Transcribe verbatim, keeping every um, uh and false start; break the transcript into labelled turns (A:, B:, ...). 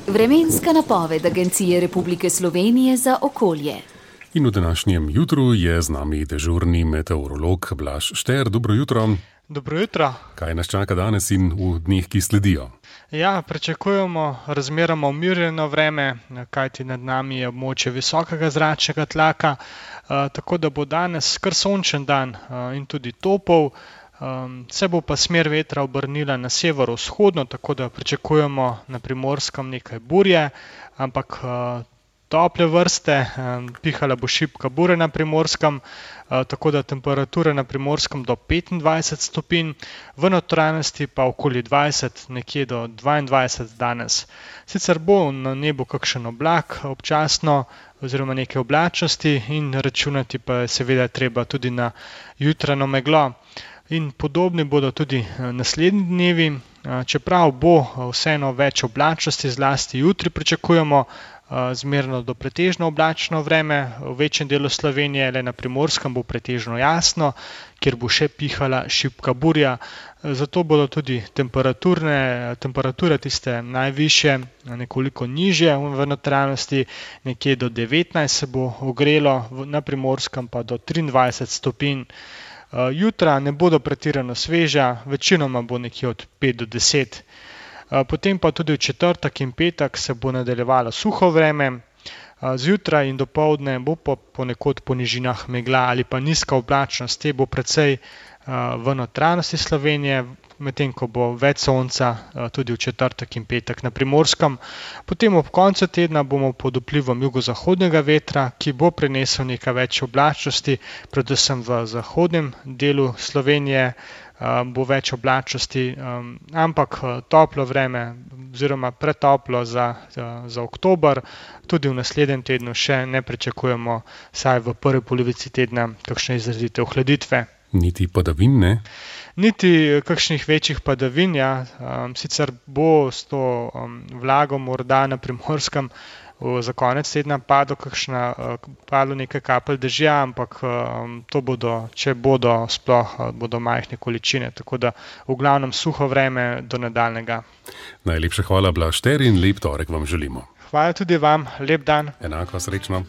A: Vremenska napoved Agencije Republike Slovenije za okolje.
B: In v današnjem jutru je z nami dežurni meteorolog Blaž Šter. Dobro jutro.
C: Dobro jutro.
B: Kaj nas čaka danes in v dneh, ki sledijo?
C: Ja, pričakujemo razmeroma umirjeno vreme, kajti nad nami je območje visokega zračnega tlaka, tako da bo danes kar sončen dan in tudi topel. Se bo pa smer vetra obrnila na severovzhodno, tako da pričakujemo na Primorskem nekaj burje, ampak tople vrste, pihala bo šibka burja na Primorskem, tako da temperature na Primorskem do petindvajset stopinj, v notranjosti pa okoli dvajset, nekje do dvaindvajset danes. Sicer bo na nebu kakšen oblak občasno oziroma neke oblačnosti in računati pa je seveda treba tudi na jutrajno meglo. In podobni bodo tudi naslednji dnevi, čeprav bo vseeno več oblačnosti, zlasti jutri pričakujemo zmerno do pretežno oblačno vreme, v večjem delu Slovenije, le na Primorskem bo pretežno jasno, kjer bo še pihala šibka burja. Zato bodo tudi temperaturne, temperature tiste najvišje, nekoliko nižje v notranjosti, nekje do devetnajst se bo ogrelo, na Primorskem pa do triindvajset stopinj. Jutra ne bodo pretirano sveža, večinoma bo nekje od pet do deset. Potem pa tudi v četrtek in petek se bo nadaljevalo suho vreme, zjutraj in dopoldne bo ponekod po nižinah megla ali pa nizka oblačnost, te bo precej v notranjosti Slovenije, medtem ko bo več sonca tudi v četrtek in petek na Primorskem. Potem ob koncu tedna bomo pod vplivom jugozahodnega vetra, ki bo prinesel nekaj več oblačnosti, predvsem v zahodnem delu Slovenije bo več oblačnosti, ampak toplo vreme oziroma pretoplo za, za oktober, tudi v naslednjem tednu še ne pričakujemo, saj v prvi polovici tedna kakšne izrazite ohladitve.
B: Niti padavin, ne?
C: Niti kakšnih večjih padavin, ja. Sicer bo s to vlago morda na Primorskem za konec tedna padlo kakšna, padlo nekaj kapelj dežja, ampak to bodo, če bodo sploh, bodo majhne količine, tako da v glavnem suho vreme do nadaljnjega.
B: Najlepša hvala, Blaž Šter, in lep torek vam želimo.
C: Hvala tudi vam, lep dan.
B: Enako, srečno.